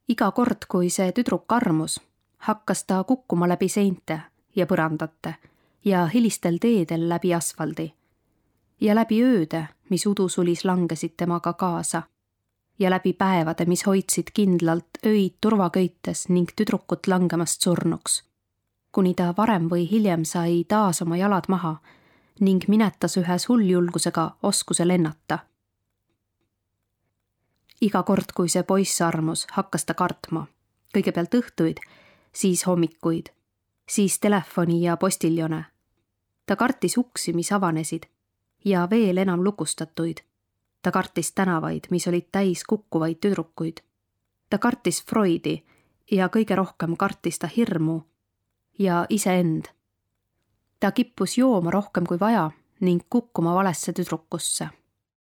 Iga kord, kui see tüdruk armus, hakkas ta kukkuma läbi seinte ja põrandate ja hilistel teedel läbi asfaldi ja läbi ööde, mis udusulis langesid temaga kaasa ja läbi päevade, mis hoidsid kindlalt öid turvaköites ning tüdrukut langemast surnuks, kuni ta varem või hiljem sai taas oma jalad maha ning minetas ühes hulljulgusega oskuse lennata. Iga kord, kui see poiss armus, hakkas ta kartma. Kõigepealt õhtuid, siis hommikuid, siis telefoni ja postiljone. Ta kartis uksi, mis avanesid ja veel enam lukustatuid. Ta kartis tänavaid, mis olid täis kukkuvaid tüdrukuid. Ta kartis Freudi ja kõige rohkem kartis ta hirmu ja iseend. Ta kippus jooma rohkem kui vaja ning kukkuma valesse tüdrukusse.